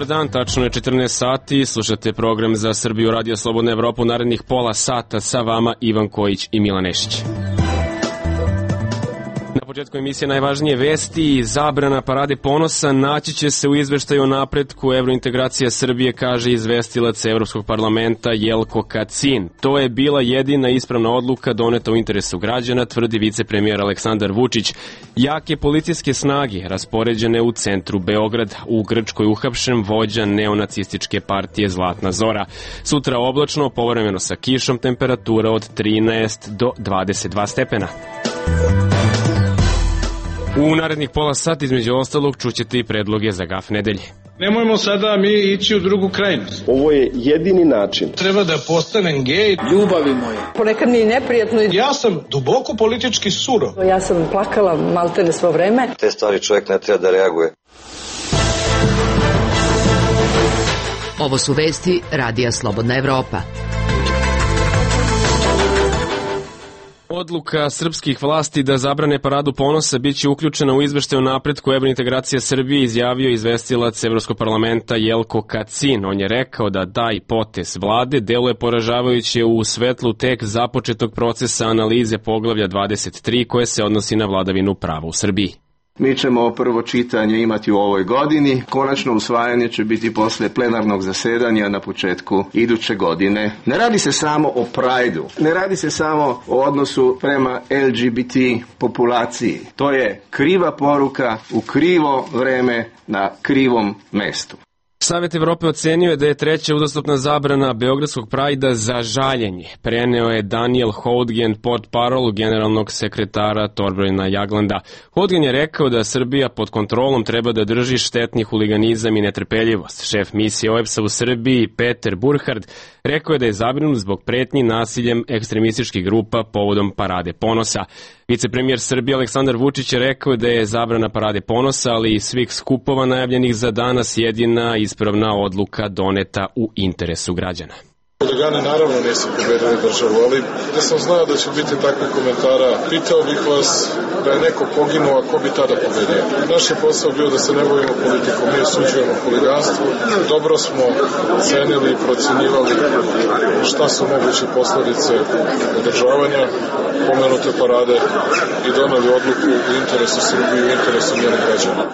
Dobar dan, tačno je 14 sati, slušate program za Srbiju Radio Slobodna Evropa u narednih pola sata, sa vama Ivan Kojić i Milan Nešić. Na početku emisije najvažnije vesti, zabrana parade ponosa naći će se u izveštaju o napretku evrointegracija Srbije, kaže izvestilac Evropskog parlamenta Jelko Kacin. To je bila jedina ispravna odluka doneta u interesu građana, tvrdi vicepremijer Aleksandar Vučić. Jake policijske snage raspoređene u centru Beograda, u Grčkoj uhapšen vođa neonacističke partije Zlatna Zora. Sutra oblačno, povremeno sa kišom, temperatura od 13 do 22 stepena. U narednih pola sata između ostalog čućete i predloge za gaf nedelje. Nemojmo sada mi ići u drugu krajnost. Ovo je jedini način. Treba da postanem gej. Ljubavi moje. Ponekad mi je neprijatno. Ja sam duboko politički surov. Ja sam plakala maltene svo vreme. Te stvari čovjek ne treba da reaguje. Ovo su vesti Radija Slobodna Evropa. Odluka srpskih vlasti da zabrane paradu ponosa biće uključena u izveštaj o napretku evrointegracija Srbije, izjavio izvestilac Evropskog parlamenta Jelko Kacin. On je rekao da taj potez vlade deluje poražavajuće u svetlu tek započetog procesa analize poglavlja 23 koje se odnosi na vladavinu prava u Srbiji. Mi ćemo prvo čitanje imati u ovoj godini, konačno usvajanje će biti posle plenarnog zasedanja na početku iduće godine. Ne radi se samo o Prideu, ne radi se samo o odnosu prema LGBT populaciji. To je kriva poruka u krivo vreme na krivom mestu. Savet Evrope ocenio je da je treća uzastopna zabrana Beogradskog Prajda za žaljenje. Preneo je Daniel Houdgen, portparol generalnog sekretara Torbrojna Jaglanda. Houdgen je rekao da Srbija pod kontrolom treba da drži štetni huliganizam i netrpeljivost. Šef misije OEBS-a u Srbiji, Peter Burhard, rekao je da je zabrinut zbog pretnji nasiljem ekstremističkih grupa povodom parade ponosa. Vicepremijer Srbije Aleksandar Vučić je rekao da je zabrana parade ponosa, ali i svih skupova najavljenih za danas jedina ispravna odluka doneta u interesu građana. Huligani naravno nisu pobedili državu, ali da sam znao da će biti takvih komentara, pitao bih vas da je neko poginuo, a ko bi tada pobedio. Naš je posao bio da se ne bavimo politikom, mi osuđujemo huliganstvo, dobro smo cenili i procenjivali šta su moguće posledice održavanja pomenute parade i doneli odluku u interesu Srbije i u interesu njenih građana.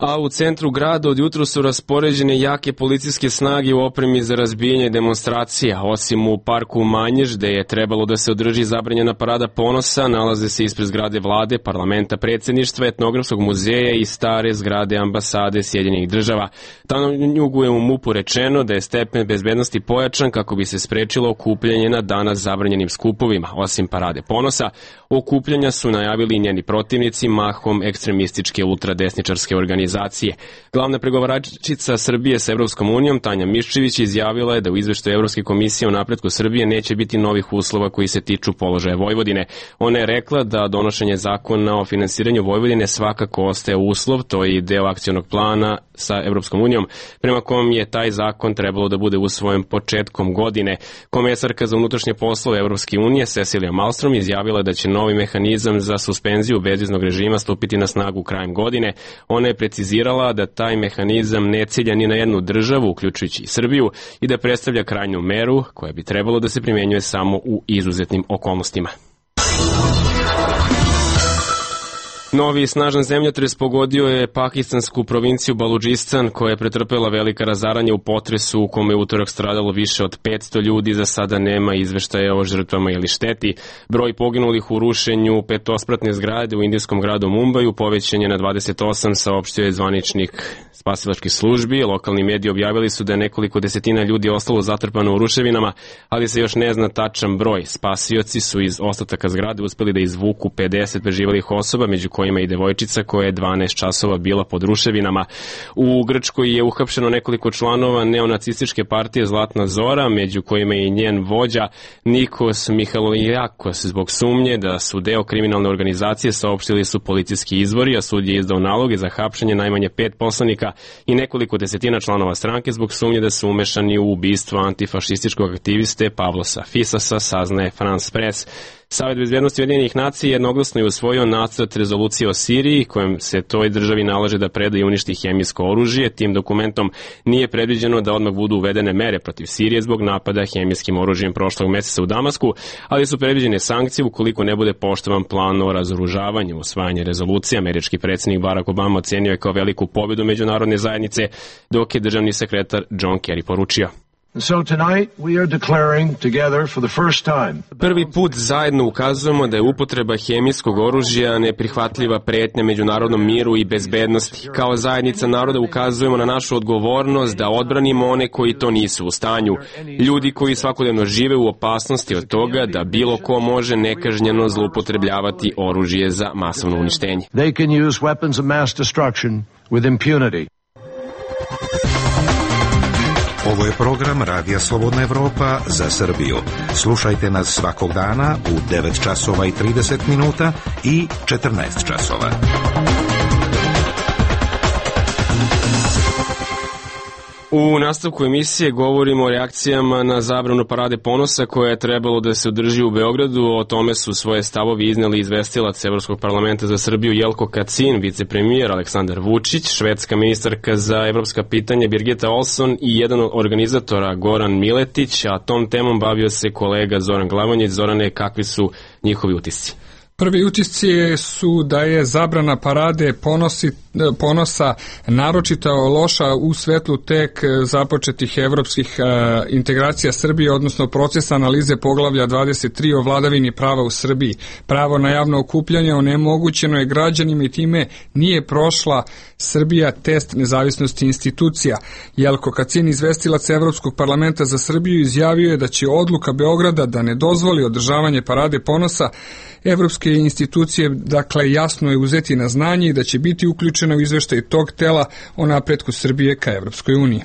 A u centru grada od jutro su raspoređene jake policijske snage u opremi za razbijanje demonstracija. Osim u parku Manjež, gde je trebalo da se održi zabranjena parada ponosa, nalaze se ispred zgrade vlade, parlamenta, predsjedništva, etnografskog muzeja i stare zgrade ambasade Sjedinjenih država. Tanjugu je u MUP-u rečeno da je stepen bezbednosti pojačan kako bi se sprečilo okupljanje na danas zabranjenim skupovima. Osim parade ponosa, okupljanja su najavili njeni protivnici, mahom ekstremističke ultradesničarske organizacije. Glavna pregovaračica Srbije sa Evropskom unijom, Tanja Miščević, izjavila je da u izveštaju Evropske komisije o napretku Srbije neće biti novih uslova koji se tiču položaja Vojvodine. Ona je rekla da donošenje zakona o finansiranju Vojvodine svakako ostaje uslov, to je i deo akcionog plana sa Evropskom unijom, prema kom je taj zakon trebalo da bude usvojen početkom godine. Komesarka za unutrašnje poslove Evropske unije, Cecilija Malmström, izjavila da će novi mehanizam za suspenziju bezviznog režima stupiti na snagu krajem godine. Ona je precizirala da taj mehanizam ne cilja ni na jednu državu, uključujući i Srbiju, i da predstavlja krajnju meru koja bi trebalo da se primjenjuje samo u izuzetnim okolnostima. Novi snažan zemljotres pogodio je pakistansku provinciju Baludžistan, koja je pretrpela velika razaranja u potresu u kome je utorak stradalo više od 500 ljudi. Za sada nema izveštaja o žrtvama ili šteti. Broj poginulih u rušenju petospratne zgrade u indijskom gradu Mumbaju povećan je na 28, saopštio je zvaničnik spasilačkih službi. Lokalni mediji objavili su da je nekoliko desetina ljudi ostalo zatrpano u ruševinama, ali se još ne zna tačan broj. Spasioci su iz ostataka zgrade uspeli da izvuku 50 preživelih osoba, među kojima i devojčica koja je 12 časova bila pod ruševinama. U Grčkoj je uhapšeno nekoliko članova neonacističke partije Zlatna Zora, među kojima je i njen vođa Nikos Mihalolijakos, zbog sumnje da su deo kriminalne organizacije, saopštili su policijski izvori, a sud je izdao naloge za hapšenje najmanje 5 poslanika i nekoliko desetina članova stranke zbog sumnje da su umešani u ubistvo antifašističkog aktiviste Pavlosa Fisasa, saznaje France Press. Savet bezbednosti Ujedinjenih nacija jednoglasno je usvojio nacrt rezolucije o Siriji, kojom se toj državi nalaže da preda i uništi hemijsko oružje. Tim dokumentom nije predviđeno da odmah budu uvedene mere protiv Sirije zbog napada hemijskim oružjem prošlog meseca u Damasku, ali su predviđene sankcije ukoliko ne bude poštovan plan o razoružavanju. Usvajanje rezolucije američki predsjednik Barack Obama ocenio je kao veliku pobjedu međunarodne zajednice, dok je državni sekretar John Kerry poručio: Prvi put zajedno ukazujemo da je upotreba hemijskog oružja neprihvatljiva pretnja međunarodnom miru i bezbednosti. Kao zajednica naroda ukazujemo na našu odgovornost da odbranimo one koji to nisu u stanju. Ljudi koji svakodnevno žive u opasnosti od toga da bilo ko može nekažnjeno zloupotrebljavati oružje za masovno uništenje. They can use weapons of mass destruction with impunity. Ovo je program Radija Slobodna Evropa za Srbiju. Slušajte nas svakog dana u 9 časova i 30 minuta i 14 časova. U nastavku emisije govorimo o reakcijama na zabranu Parade ponosa koja je trebalo da se održi u Beogradu. O tome su svoje stavovi izneli izvestilac Evropskog parlamenta za Srbiju Jelko Kacin, vicepremijer Aleksandar Vučić, švedska ministarka za evropska pitanja Birgitta Olsson i jedan od organizatora Goran Miletić, a tom temom bavio se kolega Zoran Glavonjić. Zorane, kakvi su njihovi utisci? Prvi utisci su da je zabrana Parade ponosa naročito loša u svetlu tek započetih evropskih integracija Srbije, odnosno procesa analize poglavlja 23 o vladavini prava u Srbiji. Pravo na javno okupljanje onemogućeno je građanima i time nije prošla Srbija test nezavisnosti institucija. Jelko Kacin, izvestilac Evropskog parlamenta za Srbiju, izjavio je da će odluka Beograda da ne dozvoli održavanje Parade ponosa evropske institucije, dakle, jasno je uzeti na znanje i da će biti uključena u izveštaj tog tela o napretku Srbije ka Evropskoj uniji.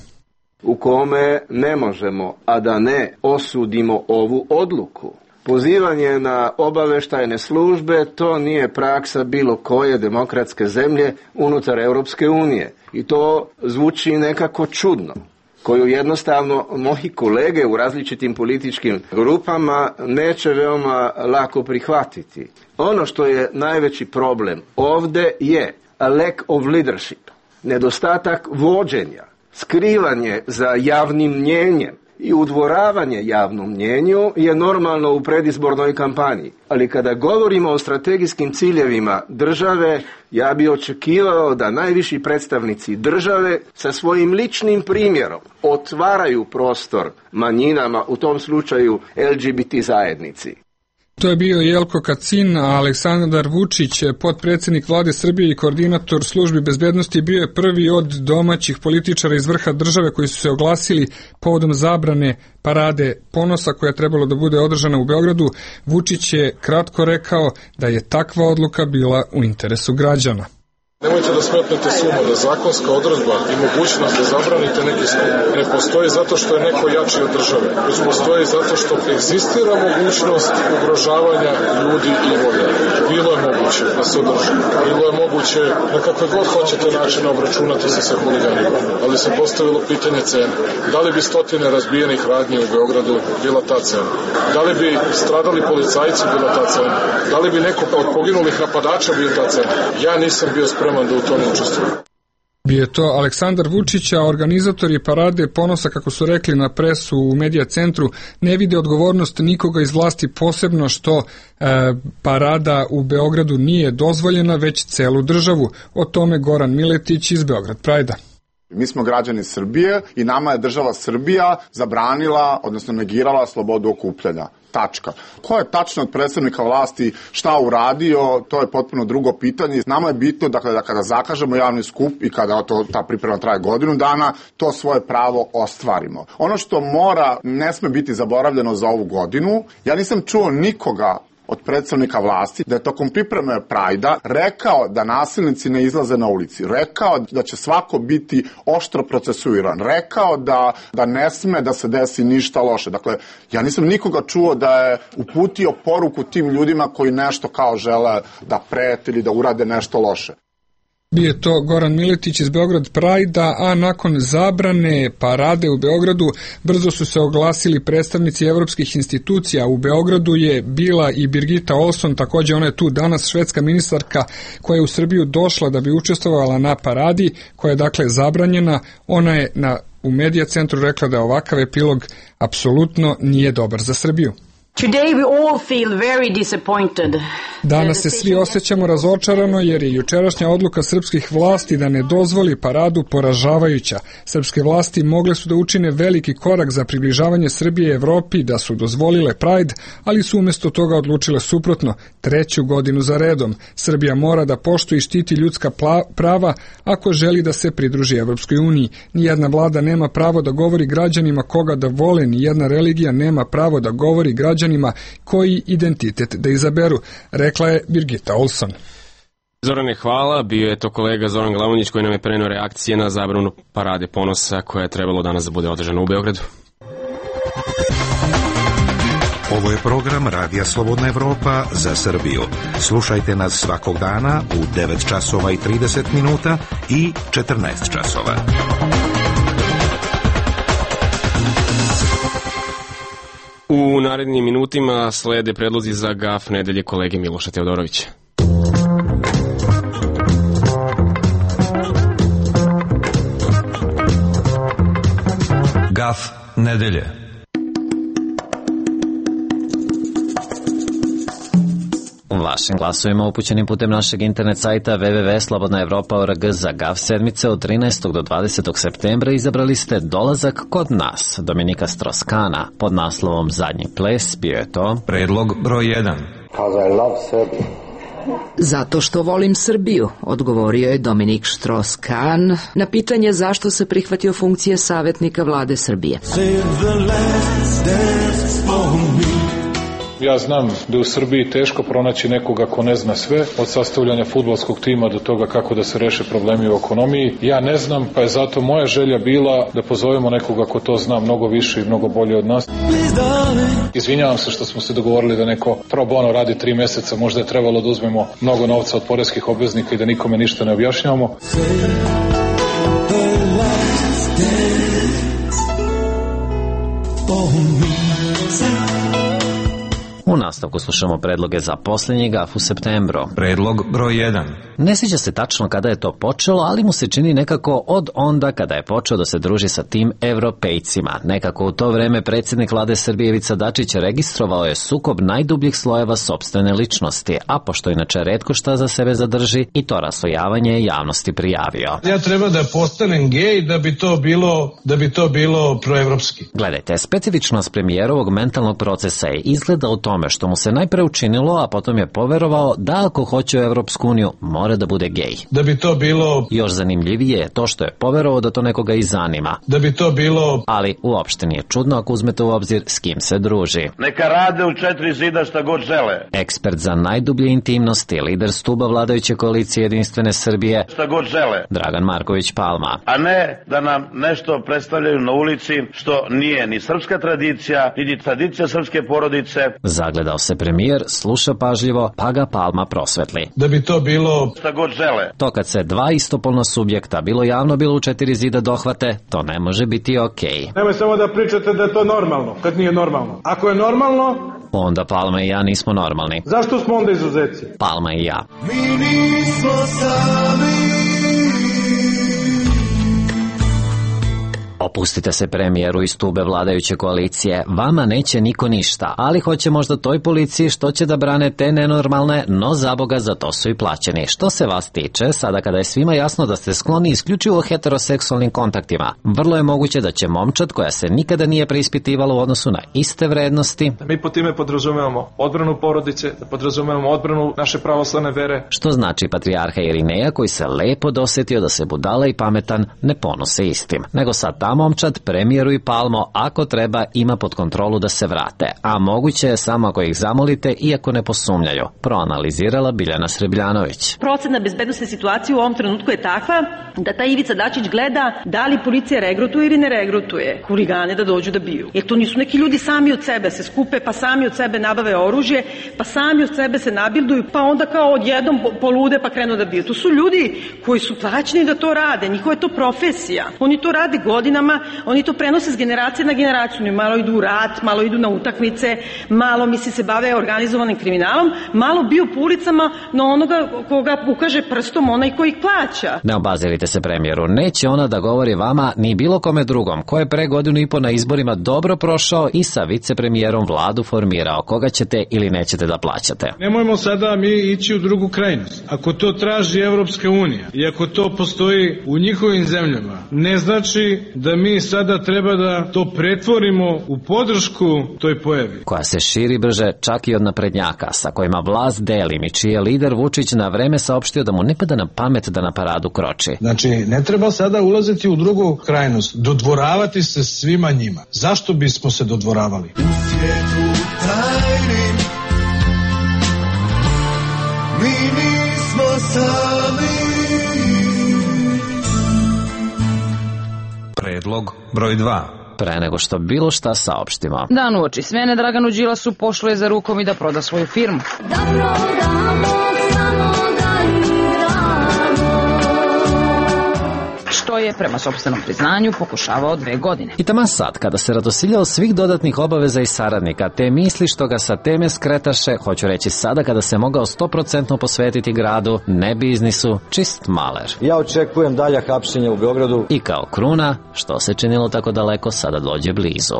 U kome ne možemo, a da ne osudimo ovu odluku. Pozivanje na obaveštajne službe, to nije praksa bilo koje demokratske zemlje unutar Evropske unije. I to zvuči nekako čudno, koju jednostavno moji kolege u različitim političkim grupama neće veoma lako prihvatiti. Ono što je najveći problem ovde je a lack of leadership, nedostatak vođenja, skrivanje za javnim mnjenjem i udvoravanje javnom mnjenju je normalno u predizbornoj kampanji. Ali kada govorimo o strategijskim ciljevima države, ja bi očekivao da najviši predstavnici države sa svojim ličnim primjerom otvaraju prostor manjinama, u tom slučaju LGBT zajednici. To je bio Jelko Kacin, a Aleksandar Vučić, potpredsjednik vlade Srbije i koordinator službi bezbednosti, bio je prvi od domaćih političara iz vrha države koji su se oglasili povodom zabrane Parade ponosa koja je trebalo da bude održana u Beogradu. Vučić je kratko rekao da je takva odluka bila u interesu građana. Nemojte da smetnete suma da zakonska odredba i mogućnost da zabranite neki skup ne postoji zato što je neko jači od države, već postoji zato što egzistira mogućnost ugrožavanja ljudi i imovine. Bilo je moguće da se održi, bilo je moguće na kakve god hoćete načine obračunati se sa huliganima, ali se postavilo pitanje cene. Da li bi stotine razbijenih radnji u Beogradu bila ta cena? Da li bi stradali policajci bila ta cena? Da li bi neko od poginulih napadača bio ta cena? Ja nisam bio spreman da u tome učestvujem. Bio je to Aleksandar Vučić, a organizatori Parade ponosa, kako su rekli na presu u Medija centru, ne vide odgovornost nikoga iz vlasti, posebno što parada u Beogradu nije dozvoljena, već celu državu. O tome Goran Miletić iz Beograd Prajda. Mi smo građani Srbije i nama je država Srbija zabranila, odnosno negirala slobodu okupljanja. Tačka. Ko je tačno od predstavnika vlasti šta uradio, to je potpuno drugo pitanje. Nama je bitno da kada zakažemo javni skup i kada ta priprema traje godinu dana, to svoje pravo ostvarimo. Ono što ne sme biti zaboravljeno za ovu godinu, ja nisam čuo nikoga od predstavnika vlasti da je tokom pripreme Prajda rekao da nasilnici ne izlaze na ulici, rekao da će svako biti oštro procesuiran, rekao da ne sme da se desi ništa loše. Dakle, ja nisam nikoga čuo da je uputio poruku tim ljudima koji nešto kao žele da prete ili da urade nešto loše. Bio je to Goran Miletić iz Beograd Prajda, a nakon zabrane parade u Beogradu brzo su se oglasili predstavnici evropskih institucija. U Beogradu je bila i Birgitta Olsson, također ona je tu danas, švedska ministarka koja je u Srbiju došla da bi učestvovala na paradi, koja je dakle zabranjena. Ona je u Medija centru rekla da ovakav epilog apsolutno nije dobar za Srbiju. Danas se svi osjećamo razočarano jer je jučerašnja odluka srpskih vlasti da ne dozvoli paradu poražavajuća. Srpske vlasti mogle su da učine veliki korak za približavanje Srbije Evropi, da su dozvolile Pride, ali su umjesto toga odlučile suprotno. 3. godinu za redom. Srbija mora da poštuje i štiti ljudska prava ako želi da se pridruži Evropskoj uniji. Nijedna vlada nema pravo da govori građanima koga da vole, nijedna religija nema pravo da govori građanima koji identitet da izaberu, rekla je Birgitta Olsson. Zorane, hvala. Bio je to kolega Zoran Glavonjić koji nam je preneo reakcije na zabranu parade ponosa koja je trebalo danas da bude održana u Beogradu. Ovo je program Radija Slobodna Evropa za Srbiju. Slušajte nas svakog dana u 9 časova i 30 minuta i 14 časova. U narednim minutima slede predlozi za GAF nedelje kolege Miloša Teodorovića. GAF nedelje. Vašim glasovima upućenim putem našeg internet sajta www.slobodnaevropa.org za GAF sedmice od 13. do 20. septembra izabrali ste Dolazak kod nas Dominika Stroskana. Pod naslovom Zadnji ples bio je to predlog broj 1. Zato što volim Srbiju, odgovorio je Dominik Štros-Kan na pitanje zašto se prihvatio funkcije savjetnika vlade Srbije. Ja znam da je u Srbiji teško pronaći nekoga ko ne zna sve, od sastavljanja fudbalskog tima do toga kako da se reše problemi u ekonomiji. Ja ne znam, pa je zato moja želja bila da pozovemo nekoga ko to zna mnogo više i mnogo bolje od nas. Izvinjavam se što smo se dogovorili da neko pro bono radi 3 meseca, možda je trebalo da uzmemo mnogo novca od poreskih obveznika i da nikome ništa ne objašnjavamo. U nastavku slušamo predloge za posljednji GAF u septembru. Predlog broj 1. Ne sviđa se tačno kada je to počelo, ali mu se čini nekako od onda kada je počeo da se druži sa tim evropejcima. Nekako u to vreme predsjednik vlade Srbije Ivica Dačić registrovao je sukob najdubljih slojeva sopstvene ličnosti, a pošto inače retko šta za sebe zadrži, i to raslojavanje je javnosti prijavio. Ja treba da postanem gej da bi to bilo proevropski. Gledajte, specifičnost premijerovog mentalnog procesa je izgleda u tome što mu se najpre učinilo, a potom je poverovao da ako hoće u Evropsku uniju mora da bude gej. Da bi to bilo... Još zanimljivije je to što je poverovao da to nekoga i zanima. Da bi to bilo... Ali uopšte nije čudno ako uzmete u obzir s kim se druži. Neka rade u 4 zida šta god žele. Ekspert za najdublje intimnosti, lider stuba vladajuće koalicije Jedinstvene Srbije, šta god žele. Dragan Marković Palma. A ne da nam nešto predstavljaju na ulici što nije ni srpska tradicija, ni tradicija srpske porodice. Zagledao se premijer, sluša pažljivo, pa ga Palma prosvetli. Da bi to bilo... šta god žele. To kad se dva istopolna subjekta, bilo javno, bilo u 4 zida dohvate, to ne može biti okej. Nemoj samo da pričate da je to normalno, kad nije normalno. Ako je normalno... Onda Palma i ja nismo normalni. Zašto smo onda izuzeci? Palma i ja. Mi nismo sami. Opustite se premijeru iz tube vladajuće koalicije, vama neće niko ništa, ali hoće možda toj policiji što će da brane te nenormalne, no zaboga za to su i plaćeni. Što se vas tiče, sada kada je svima jasno da ste skloni isključivo heteroseksualnim kontaktima, vrlo je moguće da će momčad koja se nikada nije preispitivala u odnosu na iste vrednosti. Mi po time podrazumevamo odbranu porodice, da podrazumevamo odbranu naše pravoslavne vere. Što znači patrijarha Irineja koji se lepo dosjetio da se budala i pametan ne ponose istim, nego sad tamo momčad, premijeru i Palmo, ako treba, ima pod kontrolu da se vrate, a moguće je samo ako ih zamolite, iako ne posumnjaju, proanalizirala Biljana Srbljanović. Procena bezbednosne situacije u ovom trenutku je takva da taj Ivica Dačić gleda da li policija regrutuje ili ne regrutuje huligane da dođu da biju. Jer to nisu neki ljudi sami od sebe se skupe, pa sami od sebe nabave oružje, pa sami od sebe se nabilduju, pa onda kao odjednom polude pa krenu da biju. To su ljudi koji su plaćeni da to rade, njihova je to profesija. Oni to rade godinama, oni to prenose s generacije na generaciju. Oni malo idu u rat, malo idu na utakmice, malo se bave organizovanim kriminalom, malo biju po ulicama na onoga koga ukaže prstom onaj koji ih plaća. Ne obazirite se premijeru, neće ona da govori vama ni bilo kome drugom, ko je pre godinu i po na izborima dobro prošao i sa vicepremijerom vladu formirao, koga ćete ili nećete da plaćate. Nemojmo sada mi ići u drugu krajnost. Ako to traži Evropska unija i ako to postoji u njihovim zemljama, ne znači da mi sada treba da to pretvorimo u podršku toj pojavi. Koja se širi brže čak i od naprednjaka, sa kojima vlast delim i čiji je lider Vučić na vreme saopštio da mu ne pada na pamet da na paradu kroči. Znači, ne treba sada ulaziti u drugu krajnost, dodvoravati se svima njima. Zašto bismo se dodvoravali? U svijetu tajnim mi nismo sami. Predlog broj 2. Pre nego što bilo šta saopštimo. Dan uoči smene Draganu Đilasu pošlo je za rukom i da proda svoju firmu. Što je, prema sopstvenom priznanju, pokušavao 2 godine. I taman sad, kada se radosiljao svih dodatnih obaveza i saradnika, te misli što ga sa teme skretaše, hoću reći sada kada se mogao 100% posvetiti gradu, ne biznisu, čist maler. Ja očekujem dalja hapšenja u Beogradu. I kao kruna, što se činilo tako daleko, sada dođe blizu.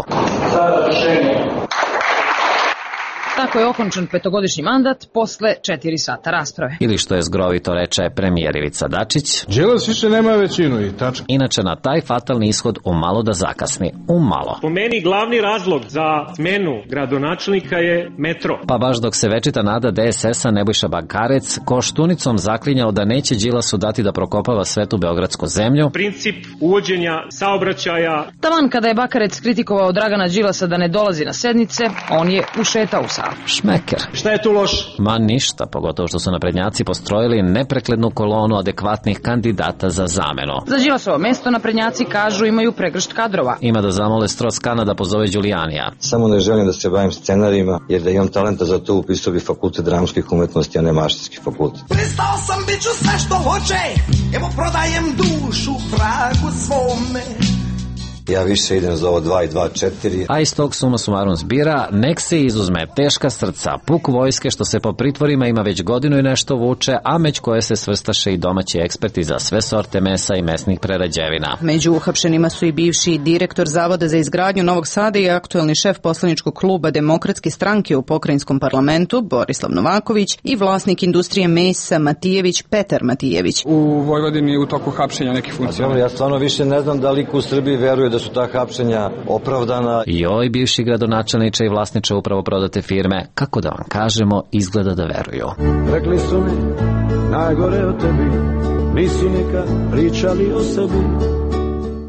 Sada rešenje. Tako je okončan 5-godišnji mandat posle 4 sata rasprave. Ili što je zgrovito reče premijer Ivica Dačić, Đilas više nema većinu i tačka. Inače na taj fatalni ishod umalo da zakasni. Umalo. Po meni glavni razlog za smenu gradonačelnika je metro. Pa baš dok se večita nada DSS-a Nebojša Bakarec Koštunicom zaklinjao da neće Đilasu dati da prokopava svetu beogradsku zemlju. Princip uvođenja saobraćaja. Taman kada je Bakarec kritikovao Dragana Đilasa da ne dolazi na sednice, on je ušetao u salu. Šmeker. Šta je tu loš? Ma ništa, pogotovo što su naprednjaci postrojili nepreklednu kolonu adekvatnih kandidata za zamenu. Za Đilasovo mesto naprednjaci kažu imaju pregršt kadrova. Ima da zamole Strauss-Kahna da pozove Đulijanija. Samo ne želim da se bavim scenarijima, jer da imam talenta za to upisao bi fakultet dramskih umetnosti, a ne mašinski fakultet. Pristao sam, bit ću sve što hoće, evo prodajem dušu vragu svome. Ja više idem za ovo 2 i 2, 4. A iz tog suma sumarum zbira, nek se izuzme teška srca, puk vojske što se po pritvorima ima već godinu i nešto vuče, a među koje se svrstaše i domaći eksperti za sve sorte mesa i mesnih prerađevina. Među uhapšenima su i bivši direktor Zavoda za izgradnju Novog Sada i aktuelni šef poslaničkog kluba Demokratske stranke u pokrajinskom parlamentu Borislav Novaković i vlasnik industrije mesa Matijević Petar Matijević. U Vojvodini u toku hapšenja nekih funkcija. Ja stvarno više ne znam da li u Srbiji veruje da su ta hapšenja opravdana. Joj, bivši gradonačelniče i vlasniče upravo prodate firme, kako da vam kažemo, izgleda da veruju. Rekli su mi najgore o tebi, nisu nikad pričali o sebi.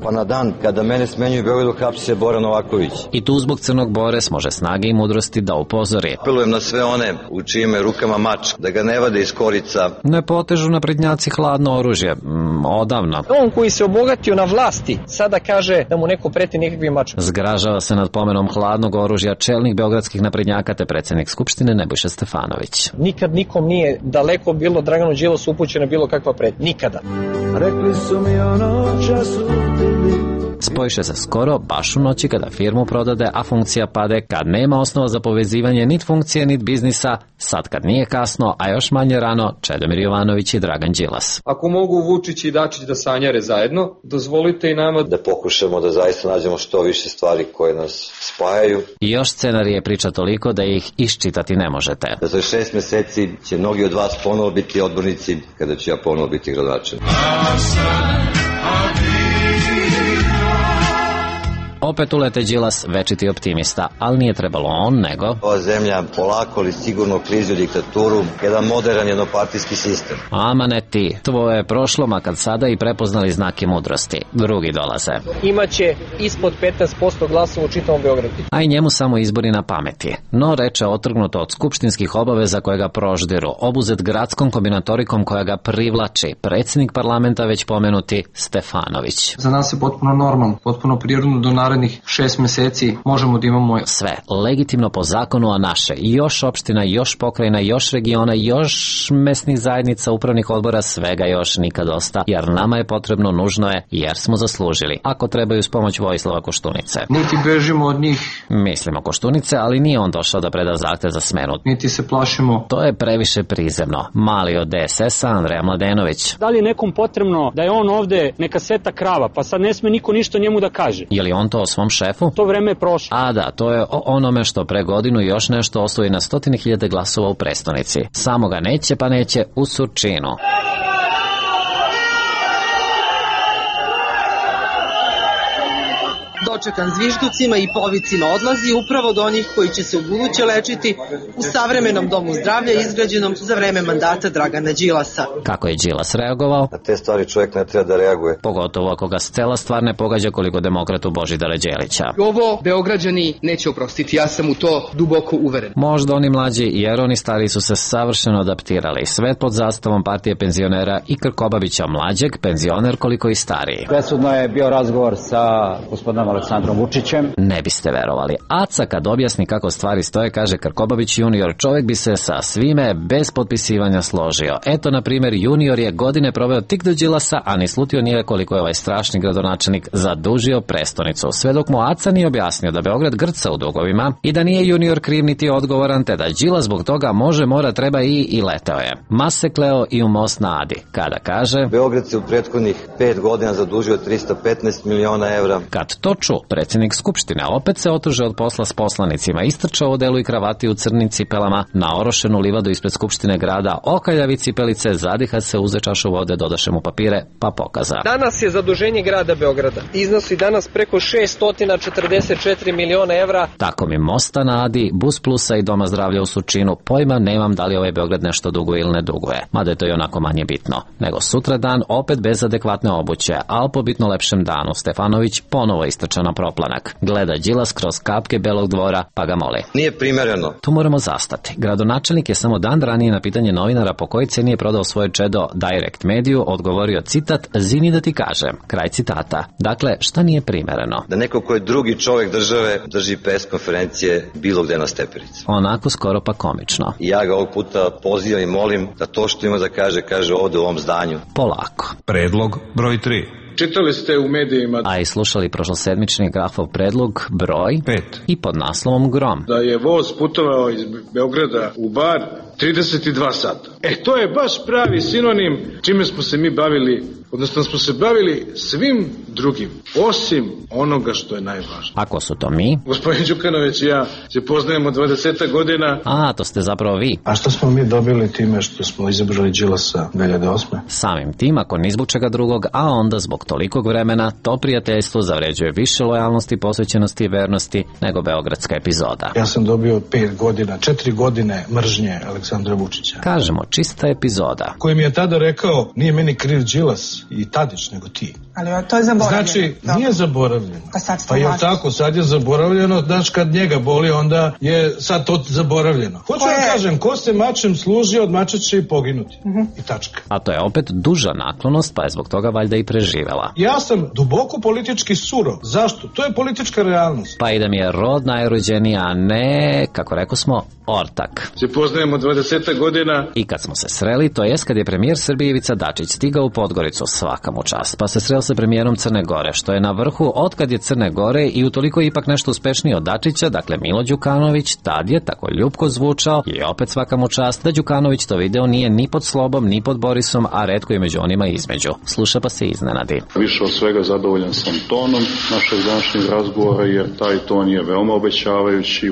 Pa na dan kada mene smenjuju u Beogradu hapsi se Bora Novaković. I tu zbog Crnog Bore smože snage i mudrosti da upozori. Apelujem na sve one u čijim je rukama mač, da ga ne vade iz korica. Ne potežu naprednjaci hladno oružje, odavno. On koji se obogatio na vlasti, sada kaže da mu neko preti nekakvim mačom. Zgražava se nad pomenom hladnog oružja čelnik beogradskih naprednjaka te predsjednik Skupštine Nebojša Stefanović. Nikad nikom nije daleko bilo Draganu Đilasu upućena bilo kakva pretnja. Nikada. Rekli su mi ono času Spojiše se skoro, baš u noći kada firmu prodade, a funkcija pade, kad nema osnova za povezivanje nit funkcije, nit biznisa, sad kad nije kasno, a još manje rano, Čedomir Jovanović i Dragan Đilas. Ako mogu Vučić i Dačić da sanjare zajedno, dozvolite i nama da pokušamo da zaista nađemo što više stvari koje nas spajaju. I još scenarije priča toliko da ih iščitati ne možete. Za 6 meseci će mnogi od vas ponovo biti odbornici, kada ću ja ponovo biti gradonačelnik. Opet ulete Đilas, večiti optimista, ali nije trebalo on, nego... Ova zemlja polako ali sigurno klizi u diktaturu, jedan modern jednopartijski sistem. Ama ne ti, tvoje je prošlo, makar sada i prepoznali znake mudrosti. Drugi dolaze. Imaće ispod 15% glasova u čitavom Beogradu. A i njemu samo izbori na pameti. No, reče otrgnuto od skupštinskih obaveza koje ga proždiru, obuzet gradskom kombinatorikom koja ga privlači, predsjednik parlamenta već pomenuti Stefanović. Za nas je potpuno normalno, potpuno prirodno do narednih 6 meseci možemo da imamo sve legitimno po zakonu, a naše još opština, još pokrajina, još regiona, još mesnih zajednica, upravnih odbora, svega još nikad dosta, jer nama je potrebno, nužno je, jer smo zaslužili. Ako trebaju s pomoć Vojislava Koštunice. Niti bežimo od njih. Mislimo Koštunice, ali nije on došao da preda zahtev za smenu. Niti se plašimo. To je previše prizemno. Mali od DSS-a Andreja Mladenović. Da li je nekom potrebno da je on ovde neka sveta krava, pa sad ne sme niko ništa njemu da kaže? Je li on to o svom šefu? To vreme je prošlo. A da, to je o onome što pre godinu još nešto osvoji na 100.000 glasova u prestonici. Samo ga neće pa neće u Surčinu. Dočekan zvižducima i povicima odlazi upravo do onih koji će se ubuduće lečiti u savremenom domu zdravlja izgrađenom za vreme mandata Dragana Đilasa. Kako je Đilas reagovao? Na te stvari čovjek ne treba da reaguje. Pogotovo ako ga cela stvar ne pogađa koliko demokratu Božidara Đelića. Ovo Beograđani neće oprostiti, ja sam u to duboko uveren. Možda oni mlađi, jer oni stari su se savršeno adaptirali. Sve pod zastavom partije penzionera i Krkobabića mlađeg, penzioner koliko i stariji. Presudno je bio razgovor sa gospodinom Aleksandrom Vučićem. Ne biste verovali. Aca kad objasni kako stvari stoje, kaže Krkobabić junior, čovjek bi se sa svime bez potpisivanja složio. Eto, na primjer, junior je godine proveo tik do Đilasa, a ni slutio nije koliko je ovaj strašni gradonačelnik zadužio prestonicu. Sve dok mu Aca nije objasnio da Beograd grca u dugovima i da nije junior kriv niti odgovoran, te da Đilas zbog toga može, mora, treba i leteo je. Mase kleo i u most na Adi. Kada kaže... Beograd se u prethodnih 5 godina zadužio 315 miliona evra. Kad to ču, predsjednik Skupštine opet se otuže od posla s poslanicima, istrčao u delu i kravati u crnim cipelama na orošenu livadu ispred Skupštine grada, okaljavi cipelice, zadiha se, uze čašu vode, dodaše mu papire, pa pokaza. Danas je zaduženje grada Beograda. Iznosi danas preko 644 miliona evra. Tako mi mosta na Adi, Bus Plusa i Doma zdravlja u Surčinu, pojma nemam da li ovaj Beograd nešto duguje ili ne duguje. Mada je to i onako manje bitno. Nego sutra dan, opet bez adekvatne obuće, al po bitno lepšem danu, Stefanović ponovo istrča na proplanak. Gleda Đilas kroz kapke Belog dvora, pa ga moli. Nije primereno. Tu moramo zastati. Gradonačelnik je samo dan ranije na pitanje novinara po kojoj ceni je prodao svoje čedo Direct Mediju odgovorio citat, zini da ti kažem. Kraj citata. Dakle, šta nije primereno? Da neko ko je drugi čovjek države drži pres konferencije bilo gde na stepenici. Onako skoro pa komično. I ja ga ovog puta pozivam i molim da to što ima da kaže ovde u ovom zdanju. Polako. Predlog broj 3. Čitali ste u medijima... A i slušali prošlosedmični Grafov predlog broj 5 i pod naslovom Grom. Da je voz putovao iz Beograda u Bar 32 sata. To je baš pravi sinonim čime smo se mi bavili, odnosno smo se bavili svim drugim, osim onoga što je najvažnije. Ako su to mi? Gospodin Đukanović i ja se poznajemo 20 godina. A, to ste zapravo vi. A što smo mi dobili time što smo izabrali Đilasa 2008? Samim tim, ako ni zbog čega drugog, a onda zbog tolikog vremena, to prijateljstvo zavređuje više lojalnosti, posvećenosti i vernosti nego beogradska epizoda. Ja sam dobio 4 godine mržnje Aleksandra Vučića. Kažemo, čista epizoda. Koji mi je tada rekao, nije meni kriv Đilas i Tadić, nego ti. Ali to je zaboravljeno. Znači, nije zaboravljeno. Pa je tako, sad je zaboravljeno, znaš, kad njega boli, onda je sad to zaboravljeno. Hoću da kažem, ko se mačem služi, od mača će i poginuti. I tačka. A to je opet duža naklonost, pa je zbog toga valjda i preživela. Ja sam duboko politički surov. Zašto? To je politička realnost. Pa i da mi je rod najrođeniji, a ne, kako rekao smo, ortak. Se poznajemo 20 godina. I kad smo se sreli, to jest kad je premijer Srbije Ivica Dačić stigao u Podgoricu, svaka mu čast, pa se sreo sa premijerom Crne Gore, što je na vrhu otkad je Crne Gore i utoliko ipak nešto uspešniji od Dačića, dakle Milo Đukanović, tad je tako ljubko zvučao i opet svaka mu čast da Đukanović to video nije ni pod Slobom, ni pod Borisom, a retko i među onima između. Sluša pa se iznenadi. Više od svega zadovoljan sam tonom našeg današnjeg razgovora, jer taj ton je veoma obećavajući.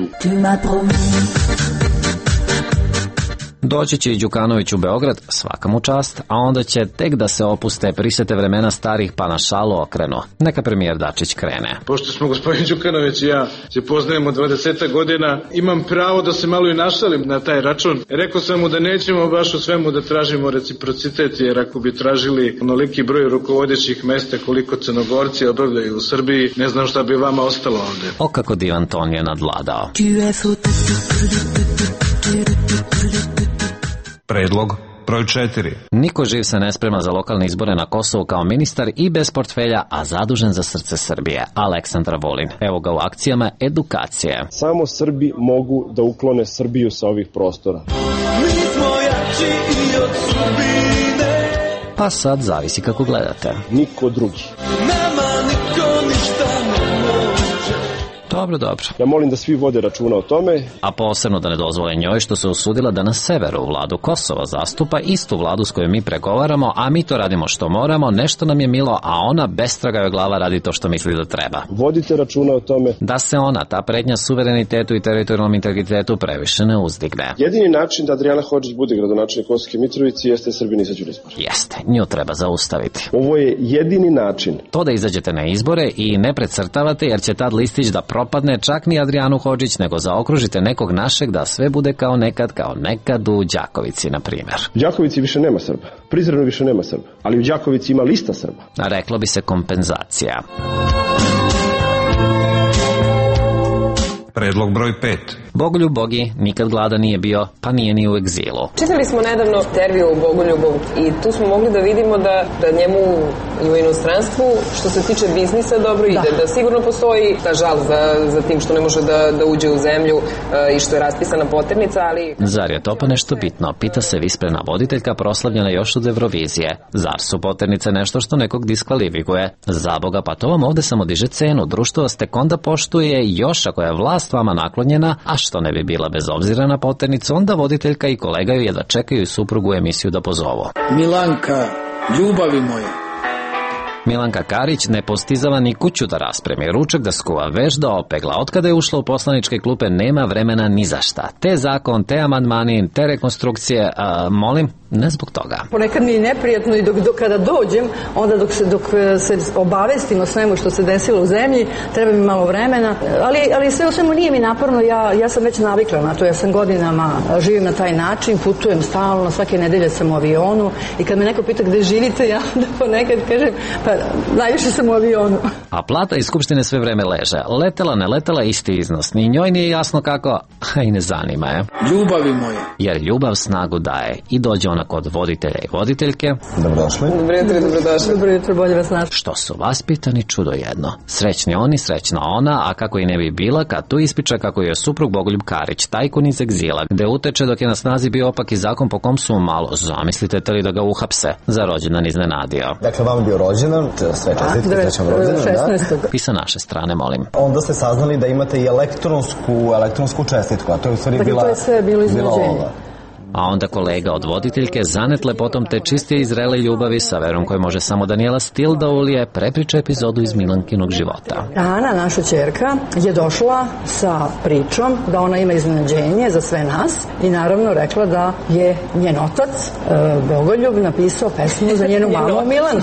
Doći će i Đukanović u Beograd, svaka mu čast, a onda će tek da se opuste, prisete vremena starih pa na šalu okrenu. Neka premijer Dačić krene. Pošto smo gospodin Đukanović i ja se poznajemo 20 godina, imam pravo da se malo i našalim na taj račun. Rekao sam mu da nećemo baš u svemu da tražimo reciprocitet, jer ako bi tražili onoliki broj rukovodećih mesta koliko Crnogorci obavljaju u Srbiji, ne znam šta bi vama ostalo ovde. O kako divan ton je nadvladao. Predlog broj 4. Niko živ se ne sprema za lokalne izbore na Kosovu kao ministar i bez portfelja, a zadužen za srce Srbije. Aleksandar Vulin. Evo ga u akcijama edukacije. Samo Srbi mogu da uklone Srbiju sa ovih prostora. Mi smo jači i od sudbine. Pa sad zavisi kako gledate. Niko drugi. Nama niko ništa ne može. Dobro. Ja molim da svi vode računa o tome. A posebno da ne dozvole njoj što se usudila da na severu vladu Kosova zastupa istu vladu s kojom mi pregovaramo, a mi to radimo što moramo, nešto nam je milo, a ona bestraga joj glava radi to što misli da treba. Vodite računa o tome. Da se ona, ta pretnja suverenitetu i teritorijalnom integritetu previše ne uzdigne. Jedini način da Adrijana Hodžić bude gradonačelnik Kosovske Mitrovice jeste Srbi izađu na izbore. Jeste, nju treba zaustaviti. Ovo je jedini način. To da izađete na izbore i ne precrtavate, jer će tad listić da propadne, čak ni Adrijanu Hodžić, nego zaokružite nekog našeg da sve bude kao nekad u Đakovici, na primjer. U Đakovici više nema Srba. Prizreno više nema Srba. Ali u Đakovici ima lista Srba. A reklo bi se kompenzacija. Predlog broj 5. Bogoljub Bogi nikad gladan nije bio, pa nije ni u egzilu. Čitali smo nedavno intervju o Bogoljubu i tu smo mogli da vidimo da njemu i u inostranstvu, što se tiče biznisa, dobro ide. Da sigurno postoji ta žal za tim što ne može da uđe u zemlju i što je raspisana poternica, ali... Zar je to pa nešto bitno? Pita se visprena voditeljka proslavljena još od Eurovizije. Zar su poternice nešto što nekog diskvalifikuje? Zaboga, pa to vam ovde samo diže cenu. Društvo vas tek onda poštuje, još ako je vlast vama naklonjena, a što ne bi bila bez obzira na poternicu, onda voditeljka i kolega ju jedva čekaju i suprugu u emisiju da pozovu. Milanka, ljubavi moja. Milanka Karić ne postizava ni kuću da raspremi, ručak da skuva, veš da opegla. Otkada je ušla u poslaničke klupe nema vremena ni za šta. Te zakon, te amandmani, te rekonstrukcije, molim, ne zbog toga. Ponekad mi je neprijatno i dok kada dođem, onda dok se obavestim o svemu što se desilo u zemlji, treba mi malo vremena, ali sve u svemu nije mi naporno, ja sam već navikla na to, ja sam godinama živim na taj način, putujem stalno, svake nedelje sam u avionu i kad me neko pita gde živite, ja da ponekad kažem, pa najviše sam u avionu. A plata iz Skupštine sve vreme leže. Letela, ne letela, isti iznos. Ni njoj nije jasno kako, a i ne zanima je. Ljubavi moje. Jer ljubav snagu daje i dođe ona kod voditelja i voditeljke. Dobrodošli. Dobrodošli. Dobro jutro, bolje vas našli. Što su vaspitani, čudo jedno. Srećni oni, srećna ona, a kako i ne bi bila kad tu ispiča kako je suprug Bogoljub Karić, tajkun iz egzila, gde uteče dok je na snazi bio opak i zakon po kom su malo, zamislite li da ga uhapse, za rođendan iznenadio. Dakle, vam bio rođendan, sve čestitke, srećan rođendan, da? I sa naše strane, molim. Onda ste saznali da imate i elektronsku čestitku, a to je u stvari bila... To je sve bilo iznenađenje. A onda kolega od voditeljke, zanet lepotom te čistije i zrele ljubavi sa verom koje može samo Daniela Stil da ulije, prepriča epizodu iz Milankinog života. Ana, naša ćerka, je došla sa pričom da ona ima iznenađenje za sve nas i naravno rekla da je njen otac, Bogoljub, napisao pesmu za njenu mamu Milanu.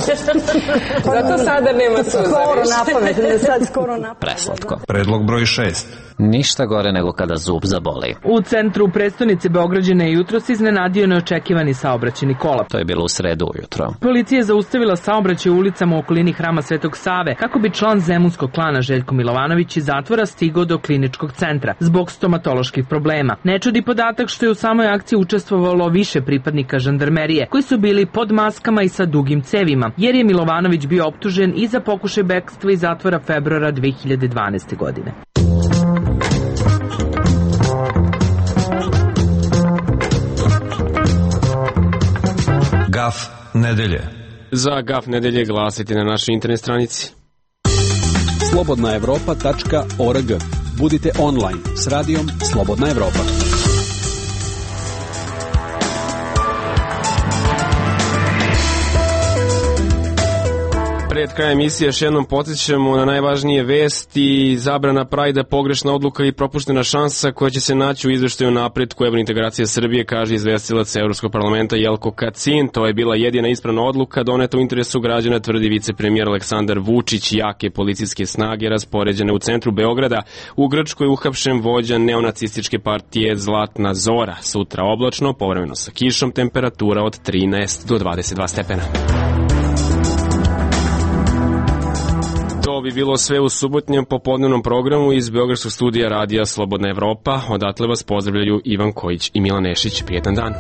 Zato sada nema suza. Skoro napamet, sad skoro napamet. Preslatko. Predlog broj 6. Ništa gore nego kada zub zaboli. U centru prestonice Beograđane jutros iznenadio neočekivani saobraćajni kolaps. To je bilo u sredu ujutro. Policija je zaustavila saobraćaj u ulicama u okolini Hrama Svetog Save kako bi član zemunskog klana Željko Milovanović iz zatvora stigao do kliničkog centra zbog stomatoloških problema. Ne čudi podatak što je u samoj akciji učestvovalo više pripadnika žandarmerije koji su bili pod maskama i sa dugim cevima, jer je Milovanović bio optužen i za pokušaj bekstva iz zatvora februara 2012. godine. Gaf nedelje. Za Gaf nedelje glasite na našoj internet stranici. slobodnaevropa.org. Budite online s radijom Slobodna Evropa. Pre Pred krajem emisije još jednom podsjećamo na najvažnije vesti. Zabrana Prajda, pogrešna odluka i propuštena šansa koja će se naći u izveštaju napretku evrointegracije Srbije, kaže izvestilac Evropskog parlamenta Jelko Kacin. To je bila jedina ispravna odluka doneta u interesu građana, tvrdi vicepremijer Aleksandar Vučić. Jake policijske snage raspoređene u centru Beograda. U Grčkoj uhapšen vođa neonacističke partije Zlatna Zora. Sutra oblačno, povremeno sa kišom, temperatura od 13 do 22 stepena. To bi bilo sve u subotnjem popodnevnom programu iz Beogradskog studija radija Slobodna Evropa. Odatle vas pozdravljaju Ivan Kojić i Milan Nešić. Prijetan dan.